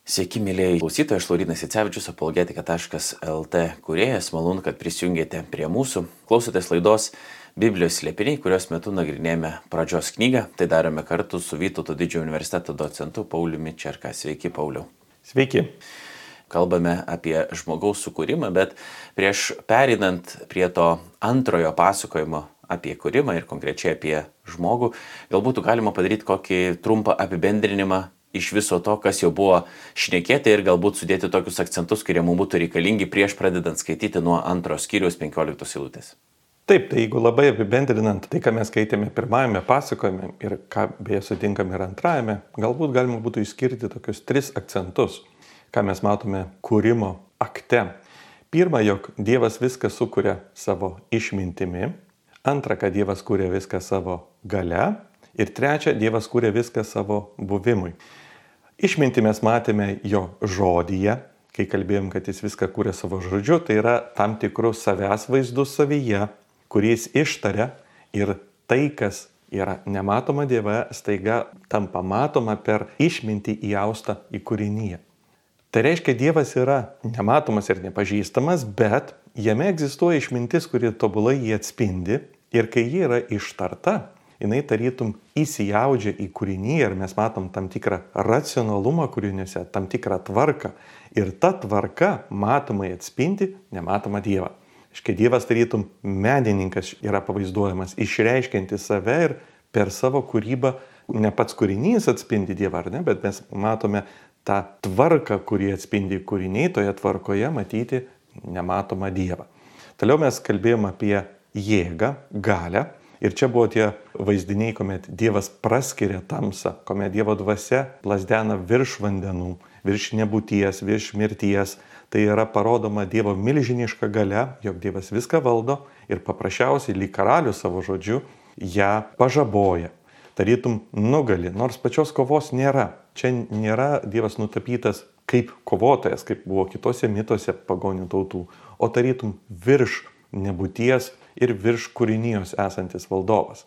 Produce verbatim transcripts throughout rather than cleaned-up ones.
Sveiki, mėlyjeji klausytojai, aš Laurynas Jacevičius, apologetika taškas lt kūrėjas. Malonu, kad prisijungėte prie mūsų. Klausotės laidos Biblijos slėpiniai, kurios metu nagrinėjame pradžios knygą. Tai darome kartu su Vytauto didžiojo universiteto docentu Pauliumi Čerka. Sveiki, Pauliau. Sveiki. Kalbame apie žmogaus sukūrimą, bet prieš pereinant prie to antrojo pasakojimo apie kūrimą ir konkrečiai apie žmogų, galbūt galima padaryti kokį trumpą apibendrinimą iš viso to, kas jau buvo šnekėta ir galbūt sudėti tokius akcentus, kurie mums būtų reikalingi prieš pradedant skaityti nuo antros skyriaus penkioliktos eilutės. Taip, tai jeigu labai apibendrinant tai, ką mes skaitėme pirmajame pasakojime ir ką beje sutinkame ir antrajame, galbūt galima būtų išskirti tokius tris akcentus, ką mes matome kūrimo akte. Pirma, jog Dievas viską sukuria savo išmintimi. Antra, kad Dievas kūrė viską savo galia. Ir trečia, Dievas kūrė viską savo buvimui. Išmintį mes matėme jo žodyje, kai kalbėjom, kad jis viską kūrė savo žodžiu, tai yra tam tikrus savęs vaizdus savyje, kuris ištaria ir tai, kas yra nematoma Dieve, staiga tampa matoma per išmintį įaustą į kūrinyje. Tai reiškia, Dievas yra nematomas ir nepažįstamas, bet jame egzistuoja išmintis, kuri tobulai jį atspindi ir kai ji yra ištarta, jinai tarytum įsijaudžia į kūrinį ir mes matom tam tikrą racionalumą kūriniuose, tam tikrą tvarką. Ir ta tvarka matomai atspindi nematomą Dievą. Iškai Dievas tarytum menininkas yra pavaizduojamas, išreiškianti save ir per savo kūrybą ne pats kūrinys atspindi Dievą, ar ne, bet mes matome tą tvarką, kurį atspindi kūriniai, toje tvarkoje matyti nematomą Dievą. Toliau mes kalbėjom apie jėgą, galią. Ir čia buvo tie vaizdiniai, kuomet Dievas praskiria tamsą, kuomet Dievo dvasia plazdena virš vandenų, virš nebūties, virš mirties. Tai yra parodoma Dievo milžiniška galia, jog Dievas viską valdo ir paprasčiausiai lyg karalius savo žodžiu ją pažaboja. Tarytum nugali, nors pačios kovos nėra. Čia nėra Dievas nutapytas kaip kovotojas, kaip buvo kitose mituose pagonių tautų, o tarytum virš nebūties ir virš kūrinijos esantis valdovas.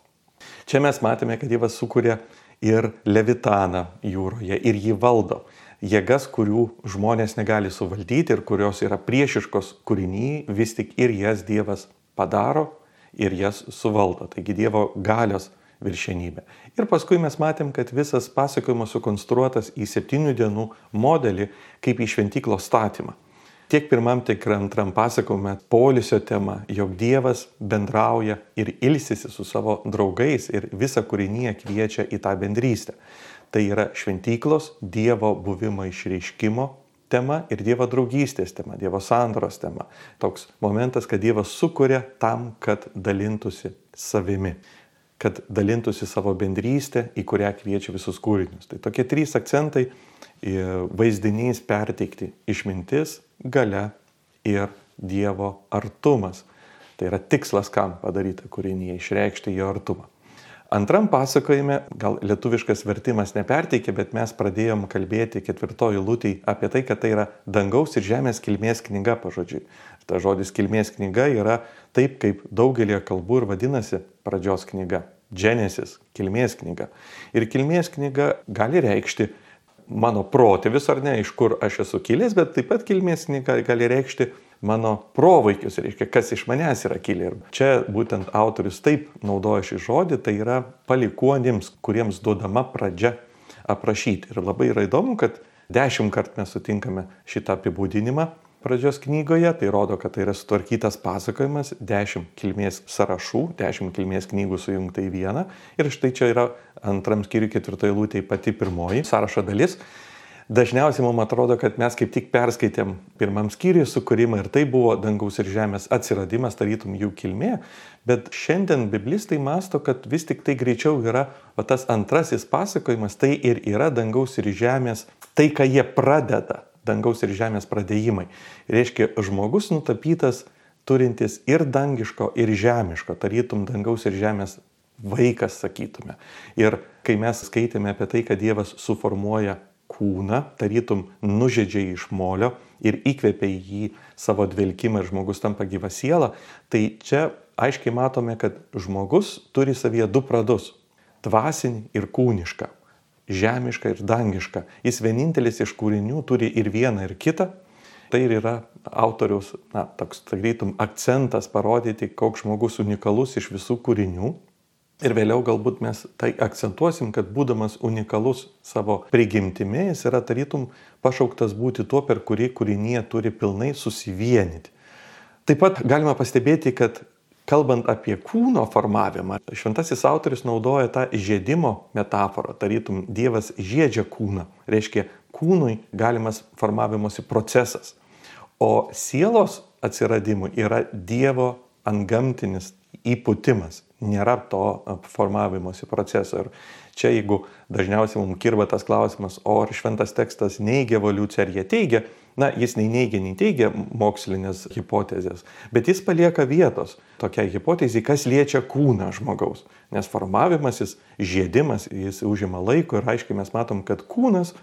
Čia mes matėme, kad Dievas sukūrė ir Levitaną jūroje ir jį valdo. Jėgas, kurių žmonės negali suvaldyti ir kurios yra priešiškos kūrinyje, vis tik ir jas Dievas padaro ir jas suvaldo. Taigi Dievo galios viršenybė. Ir paskui mes matėm, kad visas pasakojimas sukonstruotas į septynių dienų modelį kaip į šventyklos statymą. Tiek pirmam, tiek antram pasakojime poilsio tema, jog Dievas bendrauja ir ilsisi su savo draugais ir visą kūrinyje kviečia į tą bendrystę. Tai yra šventyklos, Dievo buvimo išreiškimo tema ir Dievo draugystės tema, Dievo sandoros tema. Toks momentas, kad Dievas sukuria tam, kad dalintųsi savimi, kad dalintųsi savo bendrystę, į kurią kviečia visus kūrinius. Tai tokie trys akcentai: vaizdinys perteikti išmintis, galia ir Dievo artumas. Tai yra tikslas, kam padaryta kūrinyje, išreikšti jo artumą. Antram pasakojime, gal lietuviškas vertimas neperteikė, bet mes pradėjom kalbėti ketvirtoj eilutėj apie tai, kad tai yra dangaus ir žemės kilmės knyga pažodžiui. Ta žodis kilmės knyga yra taip, kaip daugelį kalbų ir vadinasi pradžios knyga. Genesis, kilmės knyga. Ir kilmės knyga gali reikšti mano protėvis ar ne, iš kur aš esu kilęs, bet taip pat kilmės knyga gali reikšti mano provaikius, reiškia, kas iš manęs yra kilę. Ir čia būtent autorius taip naudoja šį žodį, tai yra palikuonims, kuriems duodama pradžia aprašyti. Ir labai yra įdomu, kad dešimt kart mes sutinkame šitą apibūdinimą pradžios knygoje, tai rodo, kad tai yra sutvarkytas pasakojimas, dešimt kilmės sąrašų, dešimt kilmės knygų sujungta į vieną. Ir štai čia yra antram skyriui ketvirtoje eilutėje pati pirmoji sąrašo dalis. Dažniausiai mums atrodo, kad mes kaip tik perskaitėm pirmam skyriui sukūrimą ir tai buvo dangaus ir žemės atsiradimas, tarytum jų kilmė. Bet šiandien biblistai mąsto, kad vis tik tai greičiau yra o tas antrasis pasakojimas, tai ir yra dangaus ir žemės, tai ką jie pradeda. Dangaus ir žemės pradėjimai. Reiškia, žmogus nutapytas turintis ir dangiško, ir žemiško, tarytum dangaus ir žemės vaikas, sakytume. Ir kai mes skaitėme apie tai, kad Dievas suformuoja kūną, tarytum nužedžia iš molio ir įkvepia į jį savo dvelkimą ir žmogus tampa gyva siela, tai čia aiškiai matome, kad žmogus turi savyje du pradus - dvasinį ir kūnišką. žemiška ir dangiška. Jis vienintelis iš kūrinių turi ir vieną, ir kitą. Tai ir yra autoriaus, na, toks, tarytum, akcentas parodyti, koks žmogus unikalus iš visų kūrinių. Ir vėliau galbūt mes tai akcentuosim, kad būdamas unikalus savo prigimtimi, jis yra tarytum pašauktas būti tuo, per kurį kūrinyje turi pilnai susivienyti. Taip pat galima pastebėti, kad kalbant apie kūno formavimą, šventasis autorius naudoja tą žiedimo metaforą, tarytum Dievas žiedžia kūną, reiškia kūnui galimas formavimosi procesas. O sielos atsiradimui yra Dievo antgamtinis įpūtimas. Nėra to formavimosi proceso. Ir čia, jeigu dažniausiai mums kirba tas klausimas, o ar šventas tekstas neigia evoliuciją, ar jie teigia, na, jis nei neigia, nei teigia mokslinės hipotezės, bet jis palieka vietos tokiai hipotezai, kas liečia kūną žmogaus. Nes formavimasis, žiedimas, jis užima laiko ir aiškiai mes matom, kad kūnas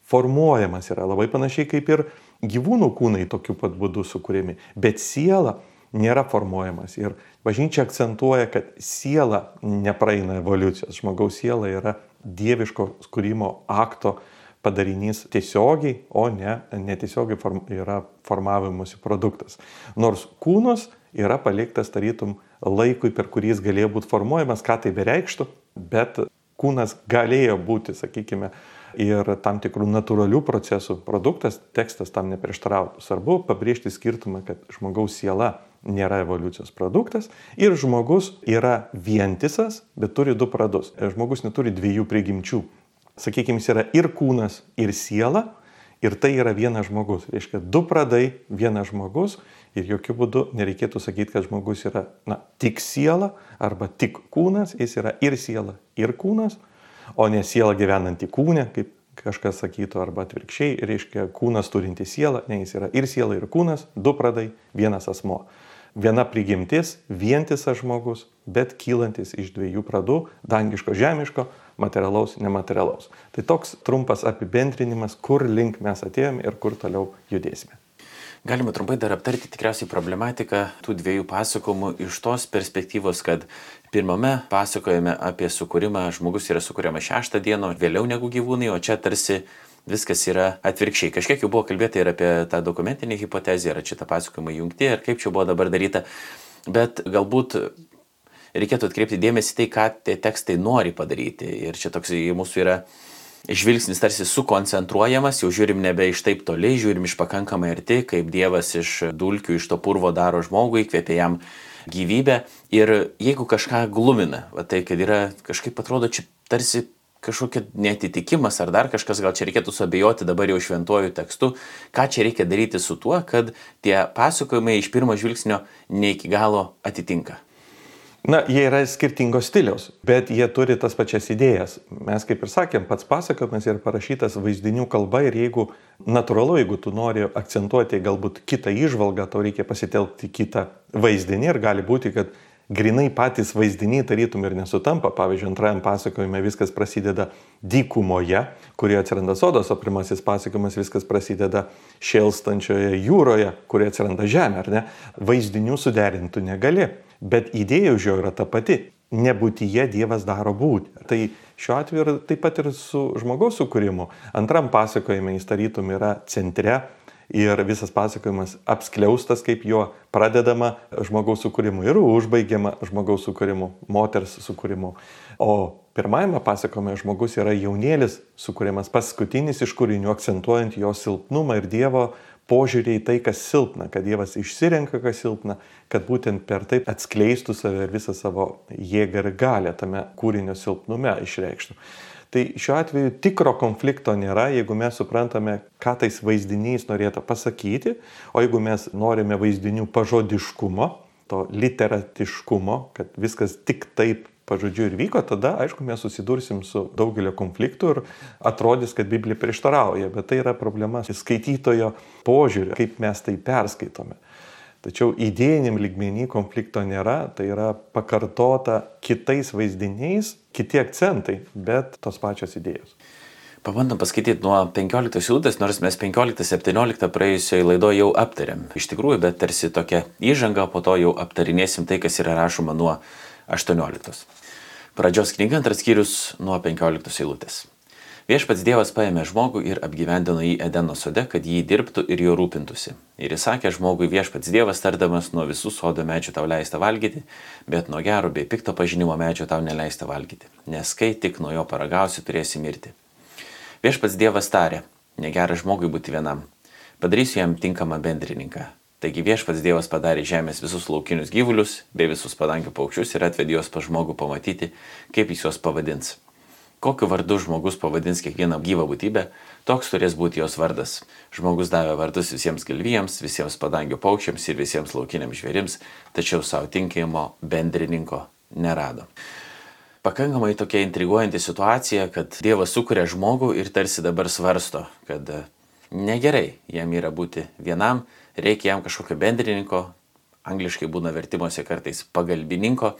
formuojamas yra labai panašiai kaip ir gyvūnų kūnai tokiu pat būdu sukūrėmi, bet siela nėra formuojamas. Ir bažnyčia akcentuoja, kad siela nepraeina evoliucijos. Žmogaus siela yra dieviško kūrimo akto padarinys tiesiogiai, o ne netiesiogiai form, yra formavimusi produktas. Nors kūnas yra paliktas tarytum laikui, per kurį jis galėjo būti formuojamas, ką tai bereikštų, bet kūnas galėjo būti, sakykime, ir tam tikrų natūralių procesų produktas, tekstas tam neprieštarautų. Svarbu pabrėžti skirtumą, kad žmogaus siela nėra evoliucijos produktas ir žmogus yra vientisas, bet turi du pradus. Žmogus neturi dviejų prigimčių. Sakykime, jis yra ir kūnas, ir siela, ir tai yra vienas žmogus. Reiškia, du pradai, vienas žmogus, ir jokių būdų nereikėtų sakyti, kad žmogus yra na, tik siela arba tik kūnas, jis yra ir siela, ir kūnas, o ne siela gyvenanti kūne, kaip kažkas sakytų, arba atvirkščiai, reiškia kūnas turinti sielą, ne, jis yra ir siela, ir kūnas, du pradai, vienas asmuo. Viena prigimtis, vientisas žmogus, bet kylantis iš dviejų pradų, dangiško, žemiško, materialaus, nematerialaus. Tai toks trumpas apibendrinimas, kur link mes atėjome ir kur toliau judėsime. Galima trumpai dar aptarti tikriausiai problematiką tų dviejų pasakojimų iš tos perspektyvos, kad pirmame pasakojame apie sukūrimą, žmogus yra sukūriamas šeštą dieną, vėliau negu gyvūnai, o čia tarsi viskas yra atvirkščiai. Kažkiek jau buvo kalbėta ir apie tą dokumentinę hipotezę, ar čia tą pasakojimą jungti, ir kaip čia buvo dabar daryta. Bet galbūt reikėtų atkreipti dėmesį tai, ką tie tekstai nori padaryti. Ir čia toks mūsų yra žvilgsnis tarsi sukoncentruojamas, jau žiūrim nebe iš taip toli, žiūrim iš pakankamai arti, kaip Dievas iš dulkių, iš to purvo daro žmogų, įkvėpia jam gyvybę. Ir jeigu kažką glumina, va tai, kad yra kažkaip atrodo čia tarsi kažkokia netitikimas ar dar kažkas, gal čia reikėtų suabejoti dabar jau šventuoju tekstu, ką čia reikia daryti su tuo, kad tie pasakojimai iš pirmo žvilgsnio ne iki galo atitinka. Na, jie yra skirtingos stiliaus, bet jie turi tas pačias idėjas. Mes, kaip ir sakėm, pats pasakojimas yra parašytas vaizdinių kalba ir jeigu natūralu, jeigu tu nori akcentuoti galbūt kitą įžvalgą, tau reikia pasitelkti kitą vaizdinį ir gali būti, kad grinai patys vaizdiniai tarytum ir nesutampa. Pavyzdžiui, antrajam pasakojime viskas prasideda dykumoje, kurioje atsiranda sodas, o pirmasis pasakojimas viskas prasideda šėlstančioje jūroje, kurioje atsiranda žemė, ar ne? Vaizdinių suderintų negali, bet idėja už jo yra ta pati. Nebūtyje Dievas daro būti. Tai šiuo atveju taip pat ir su žmogaus sukūrimu. Antram pasakojime jis tarytum yra centre, ir visas pasakojimas apskliaustas, kaip jo pradedama žmogaus sukūrimu ir užbaigiama žmogaus sukūrimu, moters sukūrimu. O pirmajame pasakojime žmogus yra jaunėlis sukūrimas, paskutinis iš kūrinių, akcentuojant jo silpnumą ir Dievo požiūrį į tai, kas silpna, kad Dievas išsirenka, kas silpna, kad būtent per tai atskleistų save ir visą savo jėgą ir galią tame kūrinio silpnume išreikštų. Tai šiuo atveju tikro konflikto nėra, jeigu mes suprantame, ką tais vaizdiniais norėtų pasakyti, o jeigu mes norime vaizdinių pažodiškumo, to literatiškumo, kad viskas tik taip pažodžiu ir vyko, tada, aišku, mes susidursim su daugelio konfliktų ir atrodys, kad Biblija prieštarauja, bet tai yra problema skaitytojo požiūrį, kaip mes tai perskaitome. Tačiau idėjiniam lygmenį konflikto nėra, tai yra pakartota kitais vaizdiniais, kiti akcentai, bet tos pačios idėjos. Pabandom paskaityti nuo penkioliktos eilutės, nors mes penkioliktą septynioliktą praėjusioje laidoje jau aptarėm. Iš tikrųjų, bet tarsi tokia įžanga, po to jau aptarinėsim tai, kas yra rašoma nuo aštuonioliktos. Pradžios knyga, antras skyrius nuo penkioliktos eilutės. Viešpats Dievas paėmė žmogų ir apgyvendino jį Edeno sode, kad jį dirbtų ir jo rūpintųsi. Ir įsakė žmogui Viešpats Dievas tardamas, nuo visų sodo medžių tau leista valgyti, bet nuo gero bei pikto pažinimo medžio tau neleista valgyti, nes kai tik nuo jo paragausi, turėsi mirti. Viešpats Dievas tarė, negera žmogui būti vienam, padarysiu jam tinkamą bendrininką. Taigi Viešpats Dievas padarė žemės visus laukinius gyvulius bei visus padangių paukščius ir atvedė juos pas žmogų pamatyti, kaip jis juos pavadins. Kokiu vardu žmogus pavadins kiekvieną gyvą būtybę, toks turės būti jos vardas. Žmogus davė vardus visiems galvijams, visiems padangių paukščiams ir visiems laukiniams žvėrims, tačiau savo tinkamo bendrininko nerado. Pakankamai tokia intriguojanti situacija, kad Dievas sukuria žmogų ir tarsi dabar svarsto, kad negerai jam yra būti vienam, reikia jam kažkokio bendrininko, angliškai būna vertimuose kartais pagalbininko,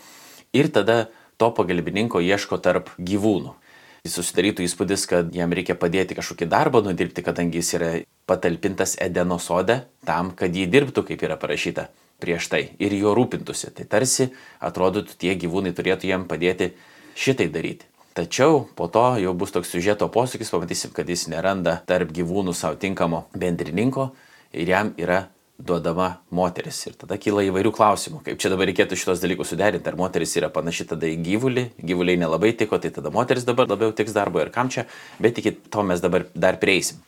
ir tada to pagalbininko ieško tarp gyvūnų. Jis susidarytų įspūdis, kad jam reikia padėti kažkokį darbą nudirbti, kadangi jis yra patalpintas Edeno sode tam, kad jį dirbtų, kaip yra parašyta prieš tai, ir jo rūpintųsi. Tai tarsi atrodytų, tie gyvūnai turėtų jam padėti šitai daryti. Tačiau po to jau bus toks siužeto posūkis, pamatysim, kad jis neranda tarp gyvūnų savo tinkamo bendrininko ir jam yra duodama moteris. Ir tada kyla įvairių klausimų, kaip čia dabar reikėtų šitos dalykus suderinti. Ar moteris yra panaši tada į gyvulį, gyvuliai nelabai tiko, tai tada moteris dabar labiau tiks darbo ir kam čia, bet iki to mes dabar dar prieisim.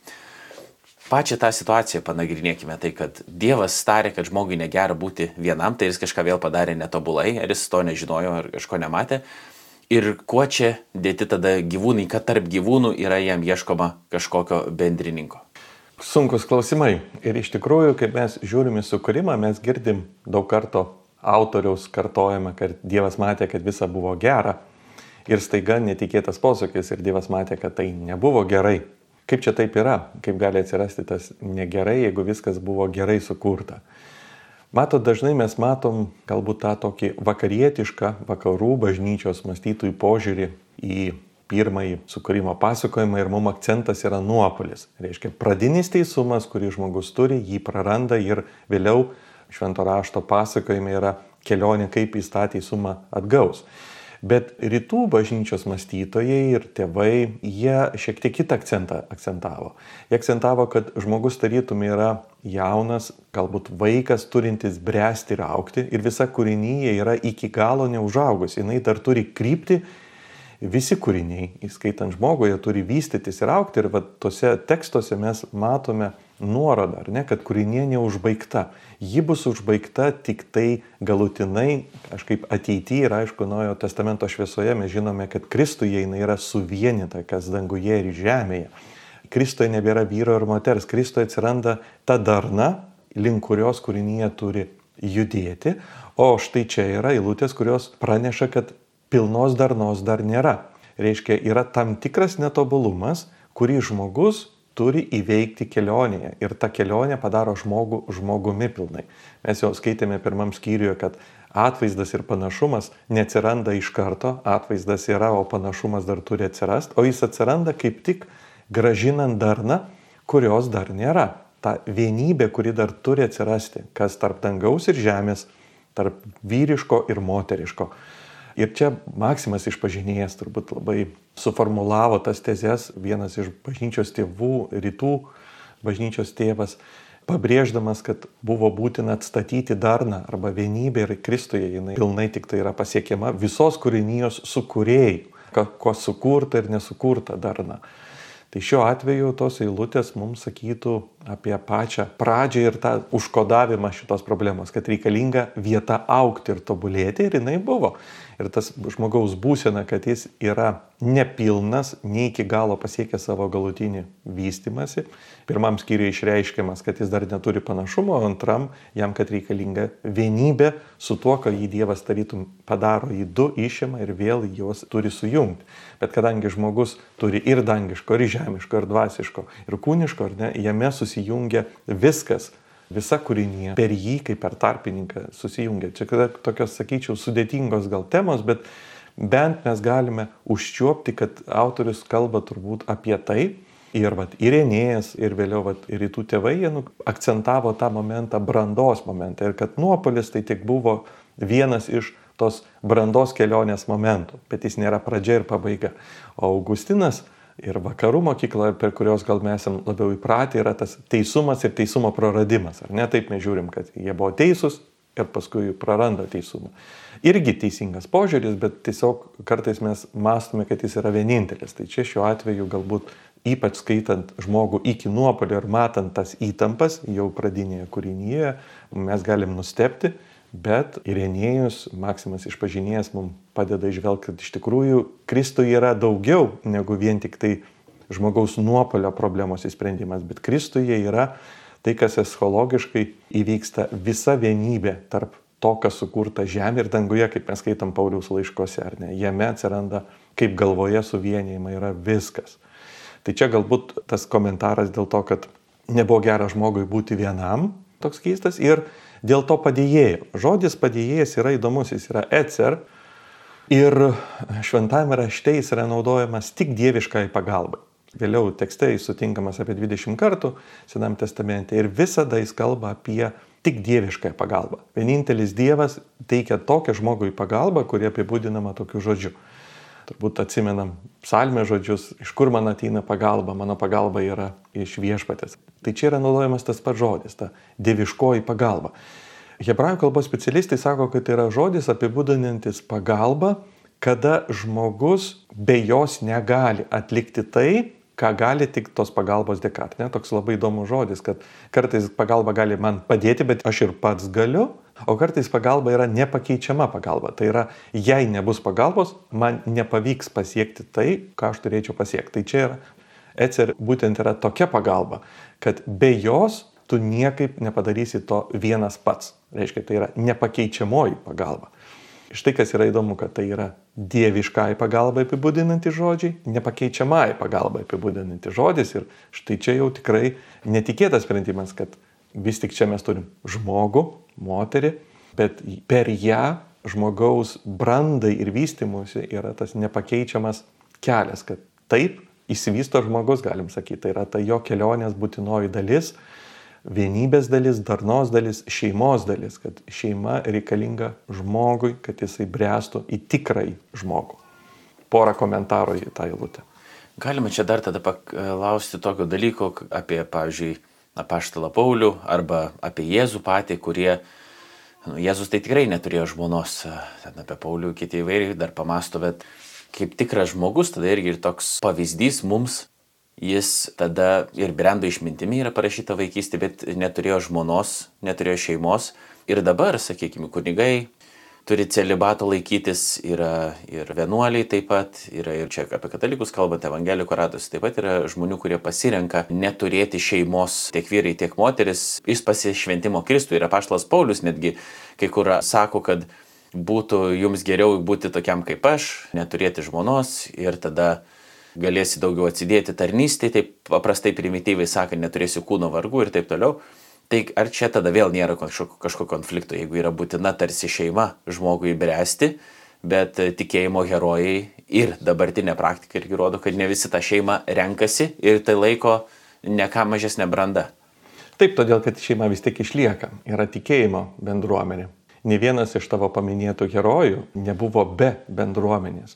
Pačią tą situaciją panagrinėkime, tai kad Dievas tarė, kad žmogui negera būti vienam, tai jis kažką vėl padarė netobulai, ar jis to nežinojo, ar kažko nematė. Ir kuo čia dėti tada gyvūnai, kad tarp gyvūnų yra jam ieškoma kažkokio bendrininko. Sunkus klausimai. Ir iš tikrųjų, kai mes žiūrime sukūrimą, mes girdim daug karto autoriaus kartojama, kad Dievas matė, kad visa buvo gera. Ir staiga netikėtas posūkis ir Dievas matė, kad tai nebuvo gerai. Kaip čia taip yra? Kaip gali atsirasti tas negerai, jeigu viskas buvo gerai sukurta? Matot, dažnai mes matom galbūt tą tokį vakarietišką, vakarų bažnyčios mąstytojų požiūrį į pirmąjį sukūrimo pasakojimą ir mums akcentas yra nuopuolis. Reiškia, pradinis teisumas, kurį žmogus turi, jį praranda ir vėliau švento rašto pasakojime yra kelionė, kaip jis tą teisumą atgaus. Bet rytų bažnyčios mąstytojai ir tėvai, jie šiek tiek kitą akcentą akcentavo. Jie akcentavo, kad žmogus tarytum yra jaunas, galbūt vaikas turintis bręsti ir augti ir visa kūrinyje yra iki galo neužaugus. Jinai dar turi krypti. Visi kūriniai, įskaitant žmogų, jie turi vystytis ir augti ir va, tose tekstuose mes matome nuorodą, ar ne, kad kūrinė neužbaigta. Ji bus užbaigta tik tai galutinai, kažkaip ateityje ir aišku, Naujojo testamento šviesoje mes žinome, kad Kristuje jinai yra suvienita, kas danguje ir žemėje. Kristuje nebėra vyro ir moters, Kristuje atsiranda ta darna, link kurios kūrinė turi judėti, o štai čia yra eilutės, kurios praneša, kad pilnos darnos dar nėra. Reiškia, yra tam tikras netobulumas, kurį žmogus turi įveikti kelionėje. Ir ta kelionė padaro žmogų žmogumi pilnai. Mes jau skaitėme pirmam skyriuje, kad atvaizdas ir panašumas neatsiranda iš karto. Atvaizdas yra, o panašumas dar turi atsirasti. O jis atsiranda kaip tik gražinant darną, kurios dar nėra. Ta vienybė, kuri dar turi atsirasti. Kas tarp dangaus ir žemės, tarp vyriško ir moteriško. Ir čia Maksimas išpažinėjas turbūt labai suformulavo tas tezes, vienas iš bažnyčios tėvų, rytų bažnyčios tėvas, pabrėždamas, kad buvo būtina atstatyti darną arba vienybę ir Kristuje jinai pilnai tik tai yra pasiekiama visos kūrinijos sukūrėjų, ko sukurta ir nesukurta darna. Tai šiuo atveju tos eilutės mums sakytų apie pačią pradžią ir tą užkodavimą šitos problemos, kad reikalinga vieta augti ir tobulėti ir jinai buvo. Ir tas žmogaus būsena, kad jis yra nepilnas, ne iki galo pasiekia savo galutinį vystymąsi. Pirmam skyriui išreiškiamas, kad jis dar neturi panašumo, o antram jam, kad reikalinga vienybė su tuo, ką jį Dievas tarytum padaro, į du išima ir vėl juos turi sujungti. Bet kadangi žmogus turi ir dangiško, ir žemiško, ir dvasiško, ir kūniško, ar ne, jame susijungia viskas. Visa kūrinė per jį, kaip per tarpininką, susijungia. Čia tokios, sakyčiau, sudėtingos gal temos, bet bent mes galime užčiuopti, kad autorius kalba turbūt apie tai. Ir vat, ir Enėjas, ir vėliau vat, ir rytų tėvai jie nu, akcentavo tą momentą, brandos momentą. Ir kad nuopuolis tai tik buvo vienas iš tos brandos kelionės momentų, bet jis nėra pradžia ir pabaiga. O Augustinas ir vakarų mokykla, per kurios gal mes esam labiau įpratę, yra tas teisumas ir teisumo praradimas. Ar ne? Taip mes žiūrim, kad jie buvo teisūs ir paskui praranda teisumą. Irgi teisingas požiūris, bet tiesiog kartais mes mąstome, kad jis yra vienintelis. Tai čia šiuo atveju galbūt ypač skaitant žmogų iki nuopuolio ir matant tas įtampas jau pradinėje kūrinyje, mes galim nustebti, bet Irenėjus, Maksimas Išpažinėjas, mums padeda išvelgti, kad iš tikrųjų Kristuje yra daugiau negu vien tik tai žmogaus nuopuolio problemos įsprendimas, bet Kristuje yra tai, kas eschatologiškai įvyksta visa vienybė tarp to, kas sukurta žemė ir danguje, kaip mes skaitom Pauliaus laiškose, ar ne? Jame atsiranda, kaip galvoje suvienijama yra viskas. Tai čia galbūt tas komentaras dėl to, kad nebuvo gera žmogui būti vienam, toks keistas, ir dėl to padėjėjo. Žodis padėjėjas yra įdomus, jis yra ecer, ir šventajame rašte jis yra naudojamas tik dieviškai pagalbai. Vėliau tekste jis sutinkamas apie dvidešimt kartų Senam testamente ir visada jis kalba apie tik dievišką pagalbą. Vienintelis Dievas teikia tokią žmogui pagalbą, kuri apibūdinama tokiu žodžiu. Turbūt atsimenam psalmės žodžius, iš kur man ateina pagalba, mano pagalba yra iš Viešpaties. Tai čia yra naudojamas tas pats žodis, ta dieviškoji pagalba. Hebrajų kalbos specialistai sako, kad tai yra žodis apibūdinantis pagalbą, kada žmogus be jos negali atlikti tai, ką gali tik tos pagalbos dėka. Ne? Toks labai įdomus žodis, kad kartais pagalba gali man padėti, bet aš ir pats galiu, o kartais pagalba yra nepakeičiama pagalba. Tai yra, jei nebus pagalbos, man nepavyks pasiekti tai, ką aš turėčiau pasiekti. Tai čia yra, ecer būtent yra tokia pagalba, kad be jos tu niekaip nepadarysi to vienas pats. Reiškia, tai yra nepakeičiamoji pagalba. Štai kas yra įdomu, kad tai yra dieviškai pagalbai apibūdinanti žodžiai, nepakeičiamai pagalbai apibūdinanti žodis. Ir štai čia jau tikrai netikėtas sprendimas, kad vis tik čia mes turim žmogų, moterį, bet per ją žmogaus brandai ir vystimuisi yra tas nepakeičiamas kelias, kad taip išsivysto žmogus, galim sakyti, tai yra ta jo kelionės būtinoji dalis, vienybės dalis, darnos dalis, šeimos dalis, kad šeima reikalinga žmogui, kad jisai bręstų į tikrąjį žmogų. Porą komentarų į tą eilutę. Galima čia dar tada paklausti tokio dalyko apie, pavyzdžiui, apaštalą Paulių arba apie Jėzų patį, kurie, nu, Jėzus tai tikrai neturėjo žmonos, ten apie Paulių kiti įvairiai dar pamasto, bet kaip tikras žmogus, tada irgi ir toks pavyzdys mums. Jis tada ir brendo išmintimi yra parašyta vaikystė, bet neturėjo žmonos, neturėjo šeimos. Ir dabar, sakykime, kunigai turi celibato laikytis, yra ir vienuoliai taip pat, yra ir čia apie katalikus kalbant, evangelikų ratus, taip pat yra žmonių, kurie pasirenka neturėti šeimos, tiek vyrai, tiek moteris, iš pasišventimo Kristui. Ir apaštalas Paulius netgi kai kur sako, kad būtų jums geriau būti tokiam kaip aš, neturėti žmonos ir tada galėsi daugiau atsidėti tarnystėje, taip paprastai primityviai sakant, neturėsi kūno vargų ir taip toliau. Tai ar čia tada vėl nėra kažkokio, kažkokio konflikto, jeigu yra būtina tarsi šeima žmogui bręsti, bet tikėjimo herojai ir dabartinė praktika irgi rodo, kad ne visi tą šeimą renkasi ir tai laiko ne ką mažesnė branda. Taip, todėl, kad šeima vis tik išlieka, yra tikėjimo bendruomenė. Ne vienas iš tavo paminėtų herojų nebuvo be bendruomenės.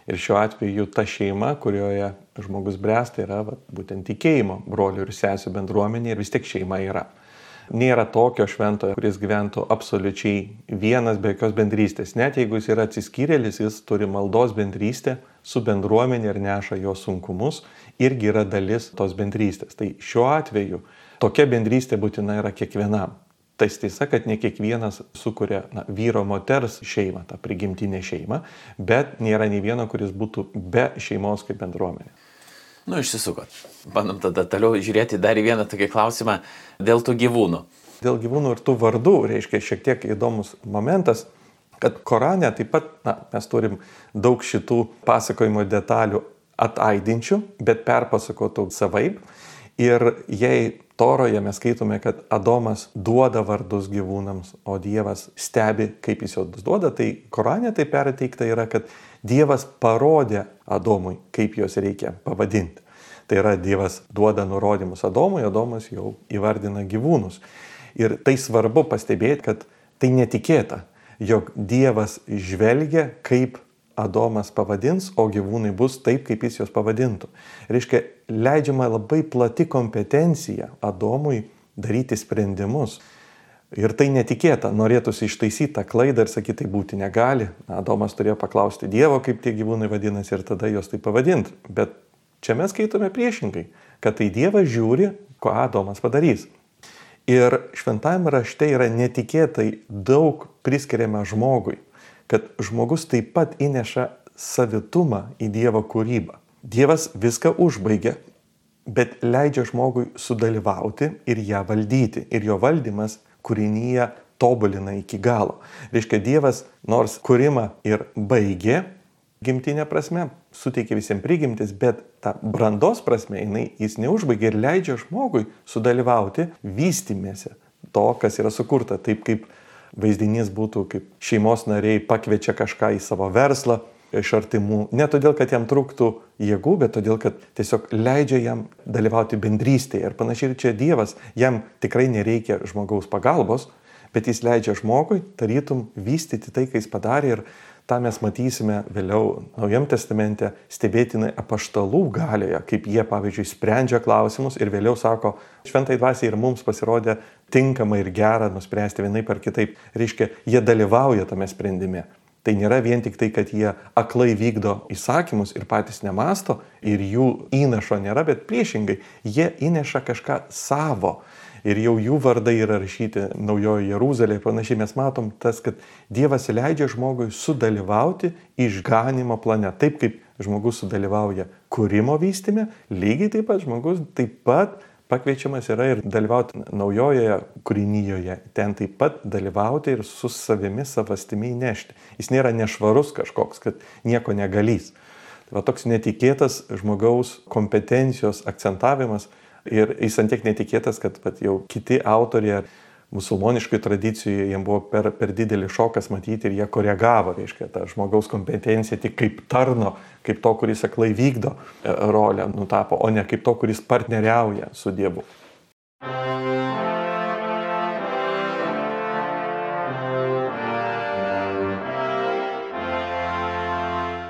Ir šiuo atveju ta šeima, kurioje žmogus bręsta, yra va, būtent tikėjimo brolių ir sesių bendruomenė ir vis tiek šeima yra. Nėra tokio šventojo, kuris gyventų absoliučiai vienas be jokios bendrystės. Net jeigu jis yra atsiskyrėlis, jis turi maldos bendrystę su bendruomenė ir neša jo sunkumus, irgi yra dalis tos bendrystės. Tai šiuo atveju tokia bendrystė būtina yra kiekvienam. Tai tiesa, kad ne kiekvienas sukuria na, vyro moters šeimą, tą prigimtinę šeimą, bet nėra nei vieno, kuris būtų be šeimos kaip bendruomenė. Nu, išsisukot. Bandom tada toliau žiūrėti dar į vieną tokį klausimą dėl tų gyvūnų. Dėl gyvūnų ir tų vardų, reiškia šiek tiek įdomus momentas, kad Korane taip pat na, mes turim daug šitų pasakojimo detalių ataidinčių, bet perpasakotų savaip. Ir jei Toroje mes skaitome, kad Adomas duoda vardus gyvūnams, o Dievas stebi, kaip jis juos duoda, tai Korane tai perteikta yra, kad Dievas parodė Adomui, kaip juos reikia pavadinti. Tai yra, Dievas duoda nurodymus Adomui, Adomas jau įvardina gyvūnus. Ir tai svarbu pastebėti, kad tai netikėta, jog Dievas žvelgia, kaip Adomas pavadins, o gyvūnai bus taip, kaip jis juos pavadintų. Reiškia, leidžiama labai plati kompetencija Adomui daryti sprendimus. Ir tai netikėta, norėtųsi ištaisyti tą klaidą ir sakyti, tai būti negali. Adomas turėjo paklausti Dievo, kaip tie gyvūnai vadinasi, ir tada juos taip pavadinti. Bet čia mes skaitome priešingai, kad tai Dievas žiūri, ko Adomas padarys. Ir šventajame rašte yra netikėtai daug priskiriama žmogui, kad žmogus taip pat įneša savitumą į Dievo kūrybą. Dievas viską užbaigia, bet leidžia žmogui sudalyvauti ir ją valdyti. Ir jo valdymas kūrinyje tobulina iki galo. Reiškia, Dievas nors kūrimą ir baigė, gimtinė prasme, suteikė visiems prigimtis, bet tą brandos prasme jinai, jis neužbaigė ir leidžia žmogui sudalyvauti vystymėse to, kas yra sukurta. Taip kaip vaizdinys būtų, kaip šeimos nariai pakviečia kažką į savo verslą iš artimų. Ne todėl, kad jam trūktų jėgų, bet todėl, kad tiesiog leidžia jam dalyvauti bendrystėje. Ir panašiai ir čia Dievas, jam tikrai nereikia žmogaus pagalbos, bet jis leidžia žmogui tarytum vystyti tai, ką jis padarė. Ir tą mes matysime vėliau Naujam testamente stebėtinai apaštalų galioje, kaip jie, pavyzdžiui, sprendžia klausimus ir vėliau sako, šventai dvasiai ir mums pasirodė tinkama ir gera nuspręsti vienaip ar kitaip. Reiškia, jie dalyvauja tame sprendime. Tai nėra vien tik tai, kad jie aklai vykdo įsakymus ir patys nemasto ir jų įnašo nėra, bet priešingai, jie įneša kažką savo. Ir jau jų vardai yra rašyti Naujojoje Jeruzalėje. Panašiai mes matom tas, kad Dievas leidžia žmogui sudalyvauti išganimo plane. Taip kaip žmogus sudalyvauja kūrimo vystyme, lygiai taip pat žmogus taip pat pakviečiamas yra ir dalyvauti naujojoje kūrinyjoje. Ten taip pat dalyvauti ir su savimi savastimi įnešti. Jis nėra nešvarus kažkoks, kad nieko negalys. Tai va toks netikėtas žmogaus kompetencijos akcentavimas. Ir jis ant tiek netikėtas, kad pat jau kiti autoriai musulmoniškai tradicijoje jiems buvo per, per didelį šokas matyti ir jie koregavo, reiškia, tą žmogaus kompetenciją tik kaip tarno, kaip to, kuris aklai vykdo rolę nutapo, o ne kaip to, kuris partneriauja su Dievu.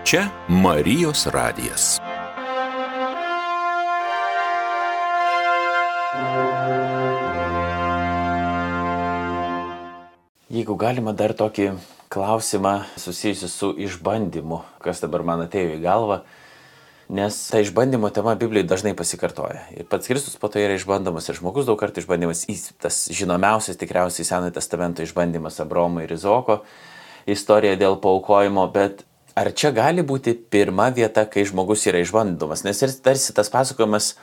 Čia Marijos radijas. Jeigu galima dar tokį klausimą susijusiu su išbandymu, kas dabar man atėjo į galvą, nes ta išbandymo tema Biblijoje dažnai pasikartoja. Ir pats Kristus po to yra išbandomas ir žmogus daug kartų išbandymas. Tas žinomiausias tikriausiai Senojo testamento išbandymas Abraomo ir Izaoko istorija dėl paaukojimo, bet ar čia gali būti pirma vieta, kai žmogus yra išbandomas? Nes ir tarsi tas pasakojimas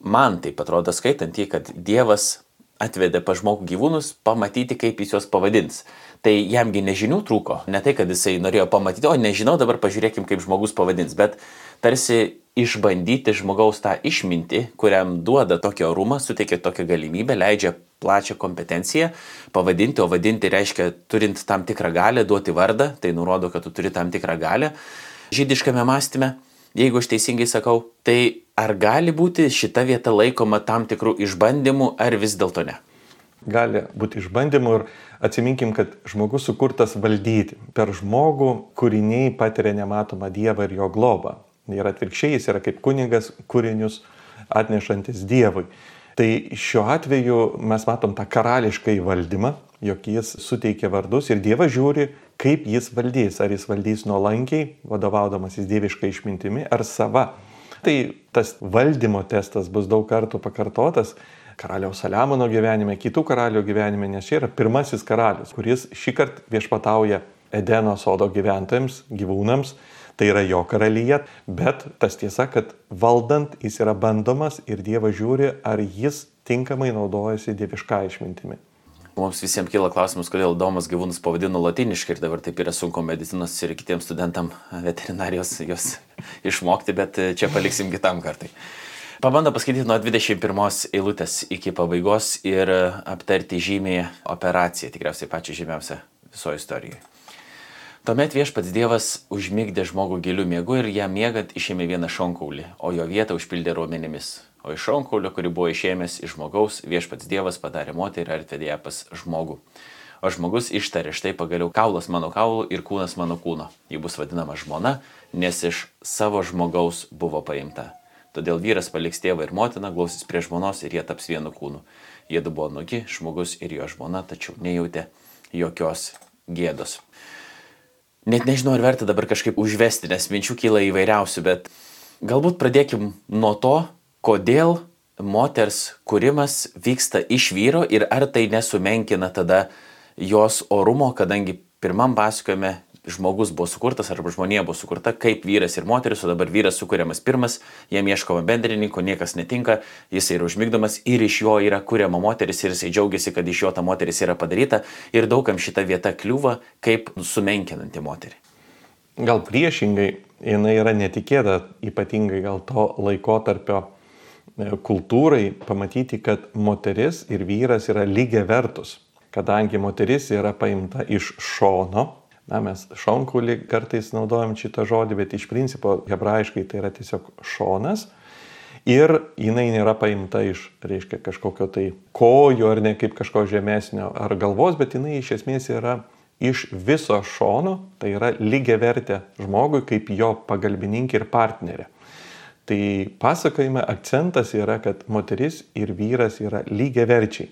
man taip atrodo skaitant jį, kad Dievas atvedė pa žmogų gyvūnus pamatyti, kaip jis juos pavadins. Tai jamgi nežinių trūko. Ne tai, kad jisai norėjo pamatyti, o nežinau, dabar pažiūrėkim, kaip žmogus pavadins. Bet tarsi išbandyti žmogaus tą išmintį, kuriam duoda tokį orumą, suteikia tokią galimybę, leidžia plačią kompetenciją pavadinti, o vadinti reiškia turint tam tikrą galią, duoti vardą, tai nurodo, kad tu turi tam tikrą galią žydiškame mąstyme. Jeigu aš teisingai sakau, tai ar gali būti šita vieta laikoma tam tikrų išbandymų, ar vis dėlto ne? Gali būti išbandymų ir atsiminkim, kad žmogus sukurtas valdyti. Per žmogų kūriniai patiria nematomą Dievą ir jo globą. Ir atvirkščiai jis yra kaip kunigas kūrinius atnešantis Dievui. Tai šiuo atveju mes matom tą karališką įvaldymą, jog jis suteikia vardus ir Dievas žiūri, kaip jis valdys. Ar jis valdys nuolankiai, vadovaudamasis dieviškai išmintimi, ar sava. Tai tas valdymo testas bus daug kartų pakartotas karaliaus Saliamono gyvenime, kitų karalių gyvenime, nes čia yra pirmasis karalius, kuris šį kartą viešpatauja Edeno sodo gyventojams, gyvūnams. Tai yra jo karalyje, bet tas tiesa, kad valdant jis yra bandomas ir Dievas žiūri, ar jis tinkamai naudojasi dievišką išmintimi. Mums visiems kyla klausimas, kodėl Domas gyvūnus pavadino latiniškai ir dabar taip yra sunku medicinos ir kitiems studentam veterinarijos jos išmokti, bet čia paliksim kitam kartai. Pabando paskaityti nuo dvidešimt pirmos eilutės iki pabaigos ir aptarti žymiąją operaciją, tikriausiai pačią žymiausią visoje istorijoje. Tuomet viešpats Dievas užmigdė žmogų giliu miegu ir jam miegant išėmė vieną šonkaulį, o jo vietą užpildė raumenimis. O iš šonkaulio, kurį buvo išėmęs iš žmogaus, viešpats Dievas padarė moterį ir atvedė ją pas žmogų. O žmogus ištarė, štai pagaliau kaulas mano kaulų ir kūnas mano kūno. Ji bus vadinama žmona, nes iš savo žmogaus buvo paimta. Todėl vyras paliks tėvą ir motiną, glausis prie žmonos ir jie taps vienu kūnu. Jiedu buvo nugi, žmogus ir jo žmona, tačiau nejautė jokios gėdos. Net nežinau, ar verta dabar kažkaip užvesti, nes minčių kyla įvairiausių, bet galbūt pradėkim nuo to, kodėl moters kūrimas vyksta iš vyro ir ar tai nesumenkina tada jos orumo, kadangi pirmam pasakojime žmogus buvo sukurtas arba žmonija buvo sukurta kaip vyras ir moteris, o dabar vyras sukuriamas pirmas, jam ieškoma bendrininko, niekas netinka, jis yra užmigdomas ir iš jo yra kuriama moteris ir jisai džiaugiasi, kad iš jo ta moteris yra padaryta ir daugam šita vieta kliūva kaip sumenkinanti moterį. Gal priešingai, jinai yra netikėta, ypatingai gal to laikotarpio kultūrai pamatyti, kad moteris ir vyras yra lygiai vertus. Kadangi moteris yra paimta iš šono, na, mes šonkulį kartais naudojam šitą žodį, bet iš principo hebrajiškai tai yra tiesiog šonas ir jinai nėra paimta iš, reiškia, kažkokio tai kojų ar ne kaip kažko žemesnio ar galvos, bet jinai iš esmės yra iš viso šono, tai yra lygiavertė žmogui kaip jo pagalbininkė ir partnerė. Tai pasakojime akcentas yra, kad moteris ir vyras yra lygiaverčiai.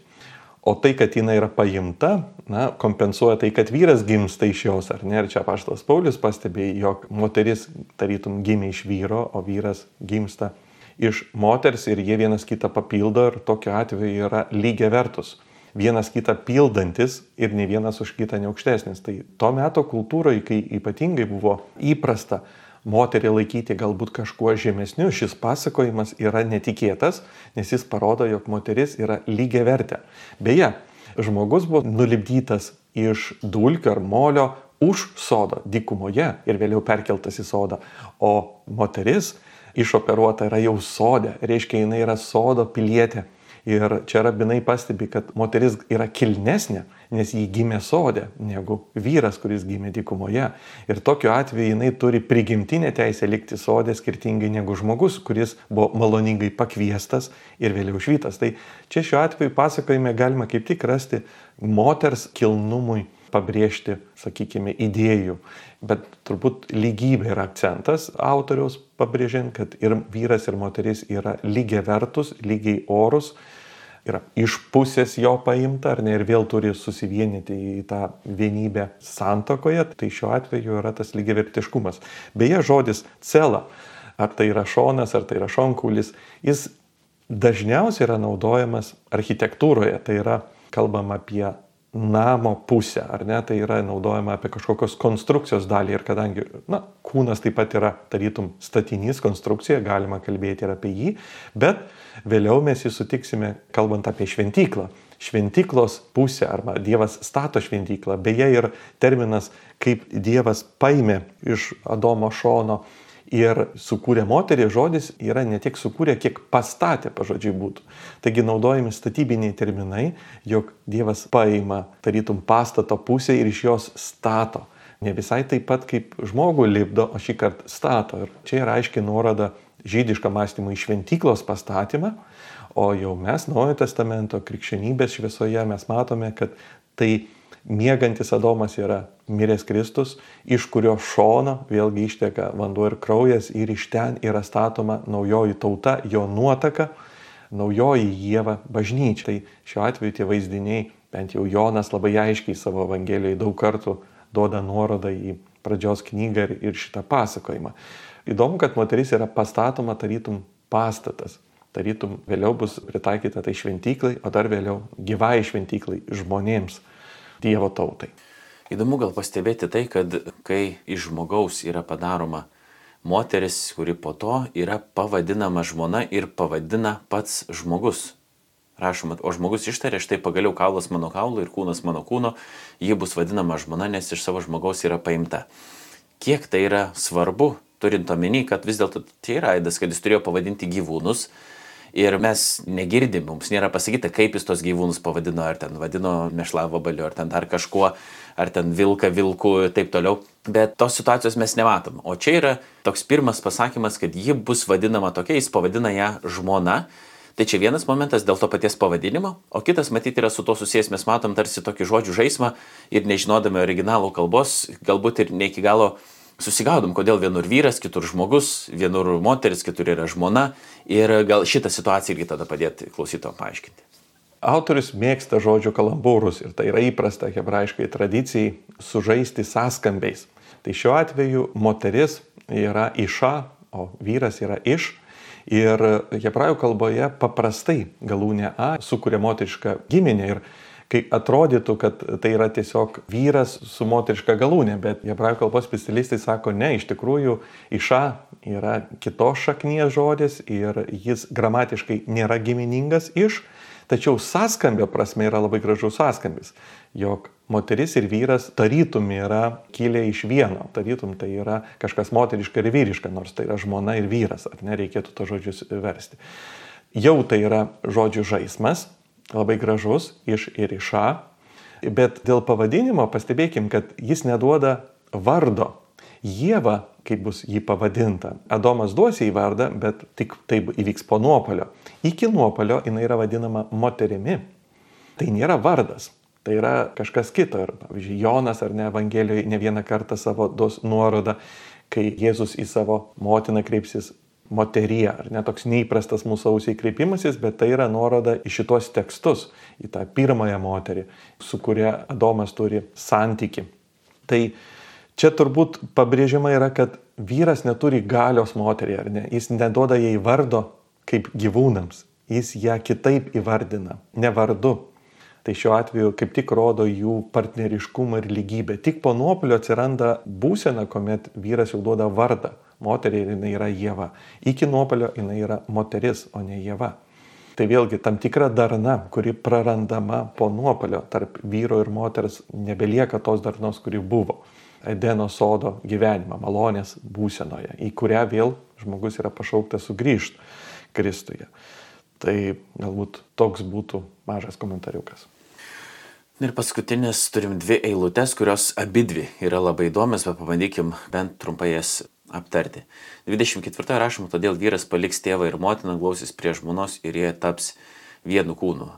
O tai, kad jinai yra paimta, na, kompensuoja tai, kad vyras gimsta iš jos, ar ne? Ir čia apaštalas Paulius pastebėjo, jog moteris tarytum gimė iš vyro, o vyras gimsta iš moters ir jie vienas kitą papildo ir tokiu atveju yra lygiavertus. Vienas kitą pildantis ir ne vienas už kitą neaukštesnis. Tai to meto kultūroje, kai ypatingai buvo įprasta moterį laikyti galbūt kažkuo žemesniu, šis pasakojimas yra netikėtas, nes jis parodo, jog moteris yra lygiavertė. Beje, žmogus buvo nulipdytas iš dulkių ar molio už sodo, dykumoje ir vėliau perkeltas į sodą, o moteris išoperuota yra jau sode, reiškia, jinai yra sodo pilietė. Ir čia rabinai pastebi, kad moteris yra kilnesnė, nes jį gimė sode, negu vyras, kuris gimė dykumoje. Ir tokiu atveju jinai turi prigimtinę teisę likti sode skirtingai negu žmogus, kuris buvo maloningai pakviestas ir vėliau išvytas. Tai čia šiuo atveju pasakojime galima kaip tik rasti moters kilnumui pabrėžti, sakykime, idėjų. Bet turbūt lygybė yra akcentas autoriaus pabrėžiant, kad ir vyras, ir moteris yra lygiai vertus, lygiai orus, yra iš pusės jo paimta, ar ne, ir vėl turi susivienyti į tą vienybę santuokoje. Tai šiuo atveju yra tas lygiavertiškumas. Beje, žodis cela, ar tai yra šonas, ar tai yra šonkulis, jis dažniausiai yra naudojamas architektūroje. Tai yra kalbama apie namo pusę, ar ne, tai yra naudojama apie kažkokios konstrukcijos dalį ir kadangi, na, kūnas taip pat yra tarytum statinys, konstrukcija, galima kalbėti ir apie jį, bet vėliau mes jį sutiksime kalbant apie šventyklą. Šventyklos pusė arba Dievas stato šventyklą, beje ir terminas, kaip Dievas paėmė iš Adomo šono ir sukūrė moterį, žodis yra ne tiek sukūrė, kiek pastatė, pažodžiui būtų. Taigi naudojami statybiniai terminai, jog Dievas paima tarytum pastato pusę ir iš jos stato. Ne visai taip pat kaip žmogų lipdo, o šį kartą stato. Ir čia yra aiškiai nuoroda žydišką mąstymą į šventyklos pastatymą, o jau mes Naujojo testamento krikščionybės šviesoje mes matome, kad tai miegantis Adomas yra miręs Kristus, iš kurio šono vėlgi išteka vanduo ir kraujas ir iš ten yra statoma naujoji tauta, jo nuotaka, naujoji Ieva bažnyčia. Tai šiuo atveju tie vaizdiniai, bent jau Jonas labai aiškiai savo Evangelijoje daug kartų duoda nuorodą į pradžios knygą ir, ir šitą pasakojimą. Įdomu, kad moteris yra pastatoma tarytum pastatas. Tarytum vėliau bus pritaikyta tai šventyklai, o dar vėliau gyvai šventyklai žmonėms, Dievo tautai. Įdomu gal pastebėti tai, kad kai iš žmogaus yra padaroma moteris, kuri po to yra pavadinama žmona ir pavadina pats žmogus. Rašoma, o žmogus ištarė, štai pagaliau kaulas mano kaulo ir kūnas mano kūno, ji bus vadinama žmona, nes iš savo žmogaus yra paimta. Kiek tai yra svarbu, turint omeny, kad vis dėlto tai yra aidas, kad jis turėjo pavadinti gyvūnus. Ir mes negirdim, mums nėra pasakyta, kaip jis tos gyvūnus pavadino, ar ten vadino mešlavabaliu, ar ten dar kažkuo, ar ten vilką vilku ir taip toliau. Bet tos situacijos mes nematom. O čia yra toks pirmas pasakymas, kad ji bus vadinama tokia, jis pavadina ją žmona. Tai čia vienas momentas dėl to paties pavadinimo, o kitas matyti yra su to susijęs, mes matom tarsi tokį žodžių žaismą ir nežinodami originalų kalbos, galbūt ir ne iki galo susigaudom, kodėl vienur vyras, kitur žmogus, vienur moteris, kitur yra žmona ir gal šitą situaciją irgi tada padėti klausytojams paaiškinti. Autorius mėgsta žodžių kalambūrus ir tai yra įprasta hebrajiškai tradicijai sužaisti sąskambiais. Tai šiuo atveju moteris yra iša, o vyras yra iš. Ir hebrajų kalboje paprastai galūnė a sukuria moterišką giminę ir kai atrodytų, kad tai yra tiesiog vyras su moteriška galūnė, bet hebrajų kalbos specialistai sako, ne, iš tikrųjų iša yra kitos šaknies žodis ir jis gramatiškai nėra giminingas iš, tačiau sąskambio prasme yra labai gražus sąskambis, jog moteris ir vyras tarytum yra kilę iš vieno, tarytum tai yra kažkas moteriška ir vyriška, nors tai yra žmona ir vyras, ar nereikėtų to žodžius versti. Jau tai yra žodžių žaismas, labai gražus, iš ir iša, bet dėl pavadinimo pastebėkim, kad jis neduoda vardo. Ieva, kaip bus jį pavadinta. Adomas duos jai vardą, bet tik taip įvyks po nuopuolio. Iki nuopuolio jinai yra vadinama moterimi. Tai nėra vardas, tai yra kažkas kito. Ir, pavyzdžiui, Jonas ar ne Evangelijoje ne vieną kartą savo duos nuorodą, kai Jėzus į savo motiną kreipsis moterie, ar ne toks neįprastas mūsų ausiai kreipimasis, bet tai yra nuoroda į šitos tekstus, į tą pirmąją moterį, su kuria Adomas turi santykį. Tai čia turbūt pabrėžiama yra, kad vyras neturi galios moteriai, ar ne? Jis neduoda jai vardo kaip gyvūnams. Jis ją kitaip įvardina, ne vardu. Tai šiuo atveju kaip tik rodo jų partneriškumą ir lygybę. Tik po nuopuolio atsiranda būsena, kuomet vyras jau duoda vardą. Moteriai jinai yra Ieva. Iki nuopuolio jinai yra moteris, o ne Ieva. Tai vėlgi tam tikra darna, kuri prarandama po nuopuolio tarp vyro ir moters, nebelieka tos darnos, kuri buvo. Edeno sodo gyvenimą, malonės būsenoje, į kurią vėl žmogus yra pašauktas sugrįžti Kristuje. Tai galbūt toks būtų mažas komentariukas. Ir paskutinis turim dvi eilutes, kurios abidvi yra labai įdomios, bet pabandykim bent trumpai jas aptarti. dvidešimt ketvirtoje rašoma, todėl vyras paliks tėvą ir motiną, glausis prie žmonos ir jie taps vienu kūnu.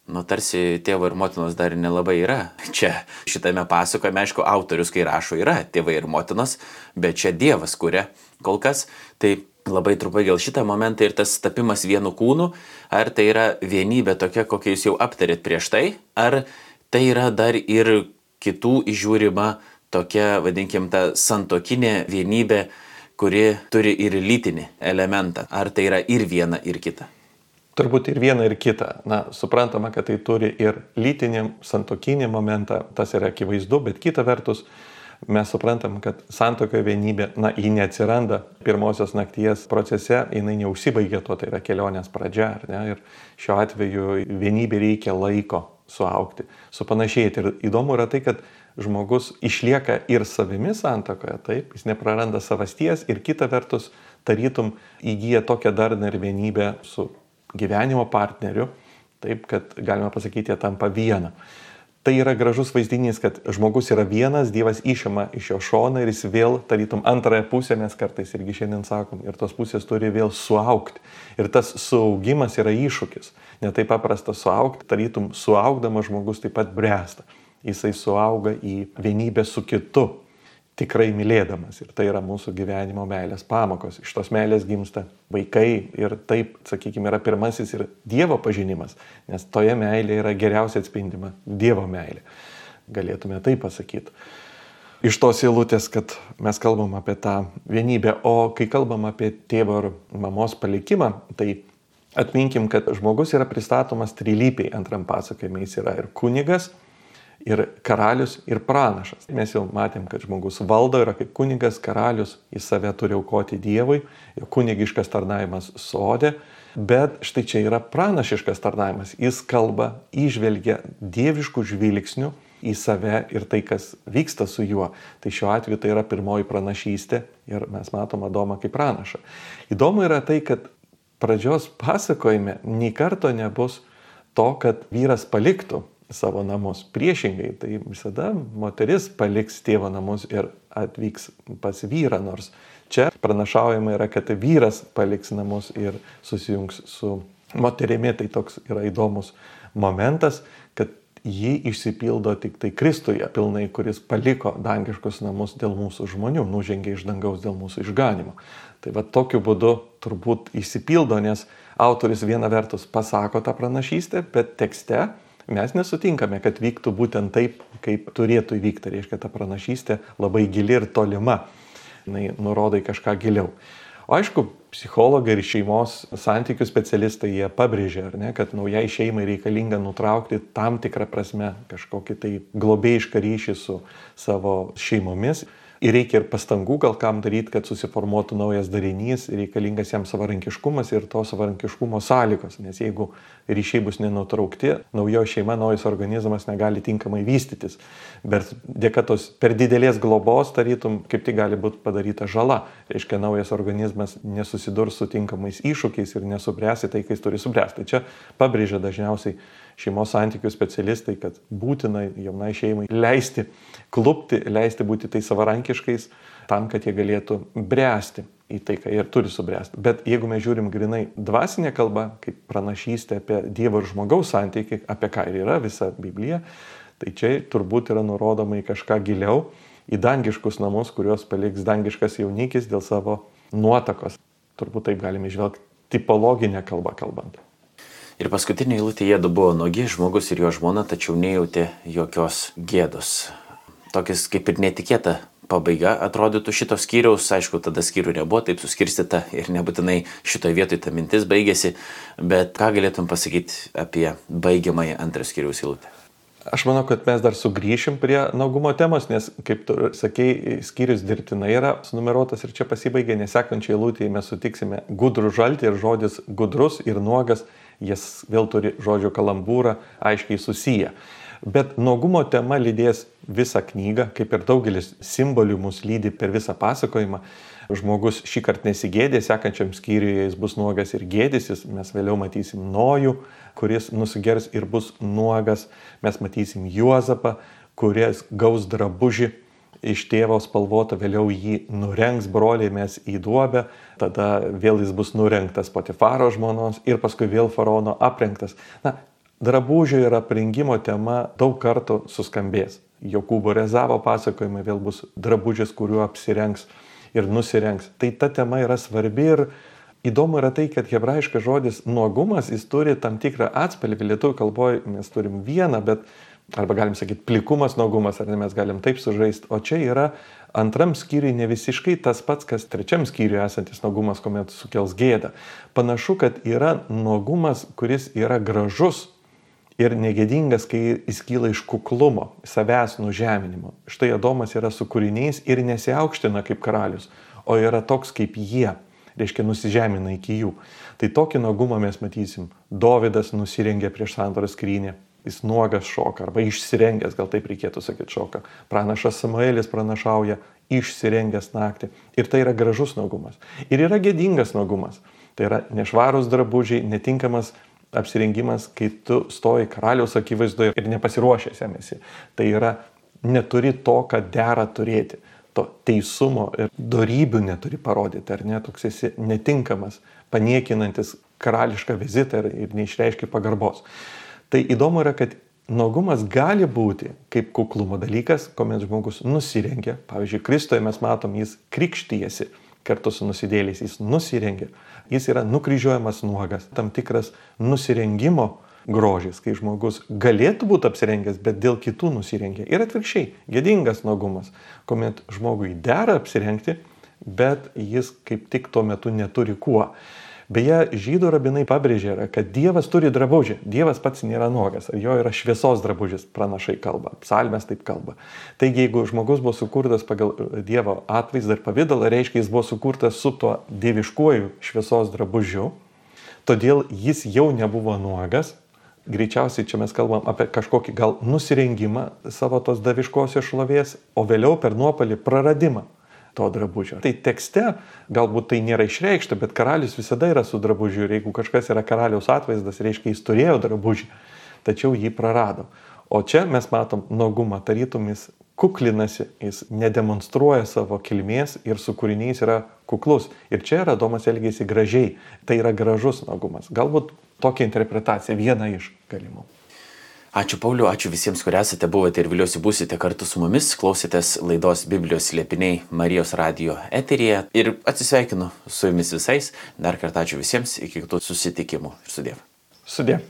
Nu, tarsi tėvo ir motinos dar nelabai yra. Čia šitame pasakojime, aišku, autorius, kai rašo, yra tėvai ir motinos, bet čia Dievas kuria kol kas. Tai labai trumpai gal šitą momentą ir tas tapimas vienu kūnu, ar tai yra vienybė tokia, kokią jūs jau aptarėt prieš tai, ar tai yra dar ir kitų įžiūrima tokia, vadinkim, ta santuokinė vienybė, kuri turi ir lytinį elementą. Ar tai yra ir viena, ir kita? Turbūt ir viena, ir kita. Na, suprantama, kad tai turi ir lytinį, santuokinį momentą, tas yra akivaizdu, bet kita vertus, mes suprantam, kad santuokoje vienybė, na, ji neatsiranda pirmosios nakties procese, jinai neužsibaigia tuo, tai yra kelionės pradžia, ar ne? Ir šiuo atveju vienybė reikia laiko suaugti, supanašėti. Ir įdomu yra tai, kad žmogus išlieka ir savimi santuokoje, taip, jis nepraranda savasties ir kita vertus, tarytum įgyja tokią darną ir vienybę su gyvenimo partneriu, taip, kad galima pasakyti, jie tampa viena. Tai yra gražus vaizdinys, kad žmogus yra vienas, Dievas išima iš jo šoną ir jis vėl, tarytum, antrąją pusę, mes kartais irgi šiandien sakom, ir tos pusės turi vėl suaugti. Ir tas suaugimas yra iššūkis. Ne taip paprasta suaugti, tarytum, suaugdamas žmogus taip pat bręsta. Jisai suauga į vienybę su kitu, tikrai mylėdamas. Ir tai yra mūsų gyvenimo meilės pamokos. Iš tos meilės gimsta vaikai ir taip, sakykime, yra pirmasis ir Dievo pažinimas, nes toje meilėje yra geriausiai atspindima Dievo meilė. Galėtume taip pasakyti. Iš tos eilutės, kad mes kalbam apie tą vienybę, o kai kalbam apie tėvo ir mamos palikimą, tai atminkim, kad žmogus yra pristatomas trilypiai antram pasakojime. Jis yra ir kunigas, ir karalius, ir pranašas. Mes jau matėm, kad žmogus valdo, yra kaip kunigas, karalius, jis save turi aukoti Dievui, jo kunigiškas tarnavimas sode, bet štai čia yra pranašiškas tarnavimas. Jis kalba, įžvelgia dieviškų žvilgsnių į save ir tai, kas vyksta su juo. Tai šiuo atveju tai yra pirmoji pranašystė ir mes matom Adomą kaip pranašą. Įdomu yra tai, kad pradžios pasakojime nei karto nebus to, kad vyras paliktų savo namus. Priešingai, tai visada moteris paliks tėvo namus ir atvyks pas vyrą, nors čia pranašaujama yra, kad vyras paliks namus ir susijungs su moterimi, tai toks yra įdomus momentas, kad ji išsipildo tik tai Kristuje pilnai, kuris paliko dangiškus namus dėl mūsų žmonių, nužengė iš dangaus dėl mūsų išganimo. Tai va tokiu būdu turbūt išsipildo, nes autorius viena vertus pasako tą pranašystę, bet tekste mes nesutinkame, kad vyktų būtent taip, kaip turėtų įvykti. Reiškia, ta pranašystė labai gili ir tolima. Jis nurodo į kažką giliau. O aišku, psichologai ir šeimos santykių specialistai jie pabrėžia, ar ne, kad naujai šeimai reikalinga nutraukti tam tikrą prasme kažkokį tai globėjišką ryšį su savo šeimomis. Ir reikia ir pastangų gal kam daryti, kad susiformuotų naujas darinys, reikalingas jam savarankiškumas ir to savarankiškumo sąlygos. Nes jeigu ryšiai bus nenutraukti, naujo šeima, naujas organizmas negali tinkamai vystytis. Bet dėka tos per didelės globos, tarytum, kaip tik gali būti padaryta žala. Reiškia, naujas organizmas nesusidurs su tinkamais iššūkiais ir nesubręs į tai, kai jis turi subręsti. Tai čia pabrėžia dažniausiai šeimos santykių specialistai, kad būtina jaunai šeimai leisti klupti, leisti būti tai savarankiškais, tam, kad jie galėtų bręsti į tai, ką jie turi subręsti. Bet jeigu mes žiūrim grinai dvasinę kalbą, kaip pranašystė apie Dievo ir žmogaus santykį, apie ką ir yra visa Biblija, tai čia turbūt yra nurodoma į kažką giliau, į dangiškus namus, kuriuos paliks dangiškas jaunikis dėl savo nuotakos. Turbūt taip galime išvelgti tipologinę kalbą kalbant. Ir paskutinė eilutė, jiedu buvo nuogi, žmogus ir jo žmona, tačiau nejautė jokios gėdos. Tokis kaip ir netikėta pabaiga atrodytų šito skyriaus, aišku, tada skyrių nebuvo taip suskirstyta ir nebūtinai šitoje vietoje ta mintis baigėsi, bet ką galėtum pasakyti apie baigiamąją antrą skyriaus eilutę? Aš manau, kad mes dar sugrįšim prie nuogumo temos, nes, kaip tu sakei, skyrius dirbtinai yra sunumeruotas ir čia pasibaigė, nes sekančiai eilutėje mes sutiksime gudrų žaltį ir žodis gudrus ir nuogas, jis vėl turi žodžio kalambūrą aiškiai susiję. Bet nuogumo tema lydės visą knygą, kaip ir daugelis simbolių mus lydi per visą pasakojimą. Žmogus šį kartą nesigėdė, sekančiam skyriuje jis bus nuogas ir gėdysis, mes vėliau matysim Nojų, kuris nusigers ir bus nuogas, mes matysim Juozapą, kuris gaus drabužį iš tėvo spalvotą, vėliau jį nurengs broliai mes į duobę, tada vėl jis bus nurengtas Potifaro žmonos ir paskui vėl faraono aprengtas. Na, drabužio ir aprengimo tema daug kartų suskambės. Jokūbo Rezavo pasakojimai vėl bus drabužis, kuriuo apsirengs ir nusirengs. Tai ta tema yra svarbi ir įdomu yra tai, kad hebrajiškas žodis nuogumas, jis turi tam tikrą atspalvį. Lietuvių kalboje mes turim vieną, bet arba galim sakyti plikumas, nuogumas, ar ne, mes galim taip sužaisti. O čia yra antram skyriui ne visiškai tas pats, kas trečiam skyriui esantis nuogumas, kuomet sukels gėdą. Panašu, kad yra nuogumas, kuris yra gražus ir negėdingas, kai jis kyla iš kuklumo, savęs nužeminimo. Štai Adomas yra su kūriniais ir nesiaukština kaip karalius, o yra toks kaip jie, reiškia nusižemina iki jų. Tai tokį nuogumą mes matysim. Dovydas nusirengė prieš sandoros skrynią. Jis nuogas šoka, arba išsirengęs, gal taip reikėtų sakyti, šoka. Pranašas Samuelis pranašauja išsirengęs naktį. Ir tai yra gražus nuogumas. Ir yra gėdingas nuogumas. Tai yra nešvarūs drabužiai, netinkamas apsirengimas, kai tu stoji karaliaus akivaizdoje ir nepasiruošęs jam esi. Tai yra neturi to, ką dera turėti. To teisumo ir dorybių neturi parodyti, ar ne, toks esi netinkamas, paniekinantis karališką vizitą ir, ir neišreiškia pagarbos. Tai įdomu yra, kad nuogumas gali būti kaip kuklumo dalykas, kuomet žmogus nusirengia. Pavyzdžiui, Kristuje mes matom, jis krikštyjasi kartu su nusidėliais, jis nusirengia. Jis yra nukryžiuojamas nuogas, tam tikras nusirengimo grožis, kai žmogus galėtų būti apsirengęs, bet dėl kitų nusirengia. Ir atvirkščiai, gėdingas nuogumas, kuomet žmogui dera apsirengti, bet jis kaip tik tuo metu neturi kuo. Beje, žydų rabinai pabrėžė, kad Dievas turi drabužį. Dievas pats nėra nuogas, jo yra šviesos drabužis, pranašai kalba, psalmės taip kalba. Taigi, jeigu žmogus buvo sukurtas pagal Dievo atvaizdą ir pavydalą, reiškia, jis buvo sukurtas su tuo dieviškuoju šviesos drabužiu, todėl jis jau nebuvo nuogas. Greičiausiai čia mes kalbam apie kažkokį gal nusirengimą savo tos daviškosios šlovės, o vėliau per nuopelį praradimą to drabužio. Tai tekste galbūt tai nėra išreikšta, bet karalius visada yra su drabužiu ir jeigu kažkas yra karaliaus atvaizdas, reiškia jis turėjo drabužį, tačiau jį prarado. O čia mes matom nuogumą, tarytum jis kuklinasi, jis nedemonstruoja savo kilmės ir su kūriniais yra kuklus. Ir čia Adomas elgėsi gražiai, tai yra gražus nuogumas. Galbūt tokia interpretacija, viena iš galimų. Ačiū Pauliu, ačiū visiems, kurie esate, buvote ir vėliausiai būsite kartu su mumis, klausėtės laidos Biblijos slėpiniai Marijos radijo eteryje ir atsisveikinu su jumis visais. Dar kartą ačiū visiems, iki kitų susitikimų ir sudiev. Sudiev.